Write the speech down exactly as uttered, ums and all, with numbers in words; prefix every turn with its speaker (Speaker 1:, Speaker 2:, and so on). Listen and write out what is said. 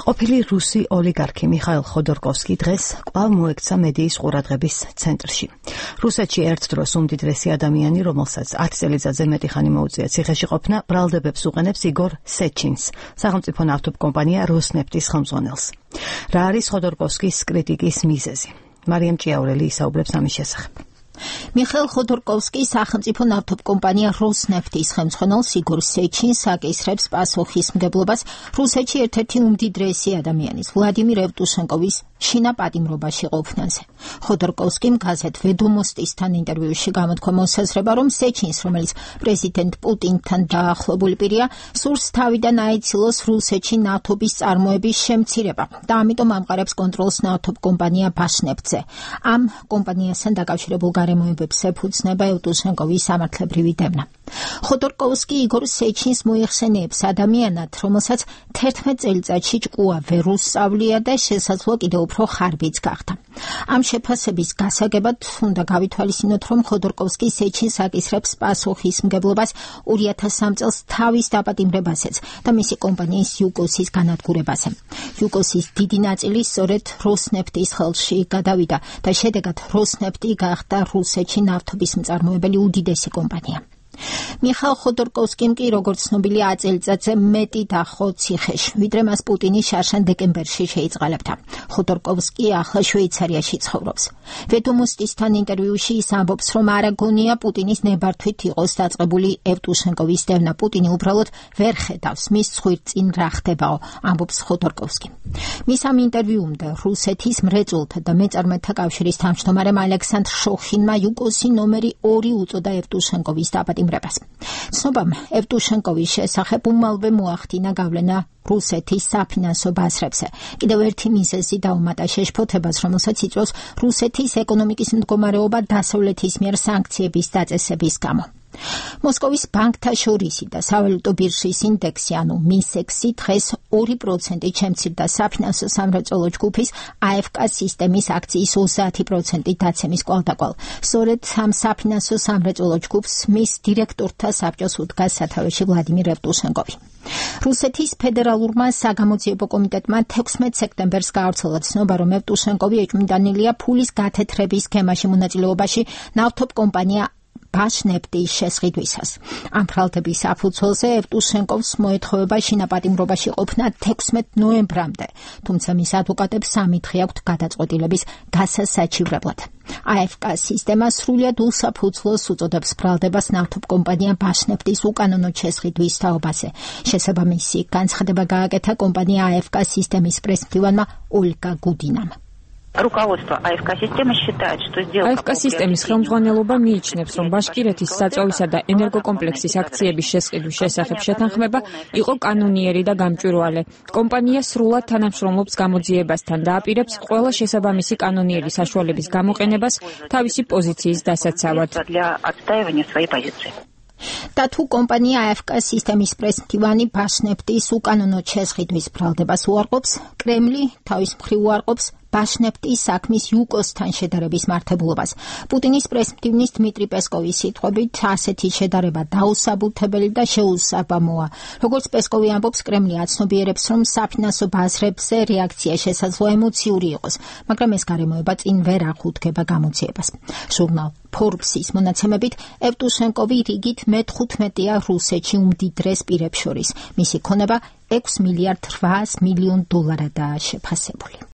Speaker 1: ყოფილი რუსი ოლიგარქი მიხაილ ხოდორკოვსკი დღეს კვლავ მოექცა მედიის ყურადღების ცენტრში. რუსეთში ერთ დროს უმდიდრესი ადამიანი, რომელსაც ათი წელიწადზე მეტი ხანი მოუწია ციხეში ყოფნა, ბრალდებებს უყენებს იგორ სეჩინს, სახელმწიფო ნავთობკომპანია როსნეფტის ხელმძღვანელს. რა არის ხოდორკოვსკის კრიტიკის მიზეზი? მარიამ ჭიაურელი ისაუბრებს ამის შესახებ.
Speaker 2: მიხაილ ხოდორკოვსკი სახელმწიფო ნავთობკომპანია როსნეფტის ხელმძღვანელს იგორ სეჩინს აკისრებს პასუხისმგებლობას რუსეთში ერთ-ერთი უმდიდრესი ადამიანის ვლადიმირ ევტუშენკოვის შინაპატიმრობაში ყოფნაზე. ხოდორკოვსკიმ გაზეთ ვედომოსტისთან ინტერვიუში გამოთქვა მოსაზრება, რომ სეჩინს, რომელიც პრეზიდენტ პუტინთან დაახლოებული პირია, სურს თავიდან აიცილოს რუსეთში ნავთობის წარმოების შემცირება და ამიტომ ამყარებს კონტროლს ნავთობკომპანია ბაშნეფტზე. ამ კომპანიასთან დაკავშირებულ გარემოებებს ეფუძნება ევტუშენკოვის სამართლებრივი დევნა. ხოდორკოვსკი იგორ სეჩინს მოიხსენიებს ადამიანად, რომელსაც თერთმეტ წელიწადში ჭკუა ვერ უსწავლია და შესაძლოა კიდევ უფრო ხარბიც გახდა. ამ შეფასების გასაგებად უნდა გავითვალისწინოთ, რომ ხოდორკოვსკი სეჩინს აკისრებს პასუხისმგებლობას ორი ათას სამ წელს თავის დაპატიმრებაზეც და მისი კომპანიის იუკოსის განადგურებაზე. იუკოსის დიდი ნაწილი სწორედ როსნეფტის ხელში გადავიდა და შედეგად როსნეფტი გახდა რუსეთში ნავთობის მწარმოებელი უდიდესი კომპანია. მიხაილ ხოდორკოვსკიმ კი, როგორც ცნობილია, ათი წელიწადზე მეტი დახო ციხეში, ვიდრე მას პუტინი შარშან დეკემბერში შეიწყალებდა. ხოდორკოვსკი ახლა შვეიცარიაში ცხოვრობს. ვედომოსტისთან ინტერვიუში ის ამბობს, რომ არ აგონია პუტინის ნებართვით იყოს დაწყებული ევტუშენკოვის დევნა. პუტინი უბრალოდ ვერ ხედავს მის ცხვირწინ რა ხდებაო, ამბობს ხოდორკოვსკი. მის ამ ინტერვიუმდე რუსეთის მრეწველთა და მეწარმეთა კავშირის თავმჯდომარემ ალექსანდრ შოხინმა იუკოსი ნომერი ორი უწოდა ევტუშენკოვის დაპატიმრებას. ცნობამ ევტუშენკოვის შესახებ უმალვე მოახდინა გავლენა რუსეთის საფინანსო ბაზრებზე. კიდევ ერთი მიზეზი დაუმატა შეშფოთებას, რომელსაც იწვევს რუსეთის ეკონომიკის მდგომარეობა დასავლეთის მიერ სანქციების დაწესების გამო. მოსკოვის ბანკთა შორისი და სავალუტო ბირჟის ინდექსი, ანუ მისექსი, დღეს ორი პროცენტით შემცირდა საფინანსო სამრეწველო ჯგუფის აეფკა სისტემის აქციის ოცდაათი პროცენტით დაცემის კვალდაკვალ. სწორედ ამ საფინანსო სამრეწველო ჯგუფს მის დირექტორთა საბჭოს უდგა სათავეში ვლადიმირ ევტუშენკოვი. რუსეთის ფედერალურმა საგამოძიებო კომიტეტმა თექვსმეტ სექტემბერს გაავრცელა ცნობა, რომ ევტუშენკოვი ეჭვმიტანილია ფულის გათეთრების სქემაში მონაწილეობაში ნავთობკომპანია ბაშნეფტის შესყიდვისას. ამ ბრალდების საფუძველზე ევტუშენკოვს მოეთხოვება შინაპატიმრობაში ყოფნა თექვსმეტ ნოემბრამდე, თუმცა მის ადვოკატებს სამი დღე აქვთ გადაწყვეტილების გასასაჩივრებლად. აეფკა სისტემა სრულად უსაფუძვლოს უწოდებს ბრალდებას ნავთობკომპანია ბაშნეფტის უკანონოდ შესყიდვის თაობაზე. შესაბამისი განცხადება გააკეთა კომპანია აეფკა სისტემის პრესმდივანმა ოლგა გუდინამ.
Speaker 3: Руководство АФК системы считает, что сделка
Speaker 4: АФК სისტემის ხელმძღვანელობა მიიჩნევს, რომ ბაშკირეთის საწვავისა და ენერგოკომპლექსის აქციების შესყიდვის შესახებ შეთანხმება იყო კანონიერი და გამჭვირვალე. კომპანია სრულად თანამშრომლობს გამოძიებასთან და აპირებს ყველა შესაბამისი კანონიერი საშუალების გამოყენებას თავისი პოზიციის დასაცავად.
Speaker 2: და თუ კომპანია აეფკა სისტემის პრესმდივანი ბაშნეფტის უკანონოდ შესყიდვის ბრალდებას უარყოფს, კრემლი თავის მხრივ უარყოფს ბაშნეფტის საქმის იუკოსთან შედარების მართებულობას. პუტინის პრესმდივნის დმიტრი პესკოვის სიტყვებით, ასეთი შედარება დაუსაბუთებელი და შეუსაბამოა. როგორც პესკოვი ამბობს, კრემლი აცნობიერებს, რომ საფინანსო ბაზრებზე რეაქცია შესაძლოა ემოციური იყოს, მაგრამ ეს გარემოება წინ ვერ აღუდგება გამოძიებას. ჟურნალ ფორბსის მონაცემებით, ევტუშენკოვი რიგით მეთხუთმეტეა რუსეთში უმდიდრეს პირებს შორის. მისი ქონება ექვს მილიარდ რვაას მილიონ დოლარადაა შეფასებული.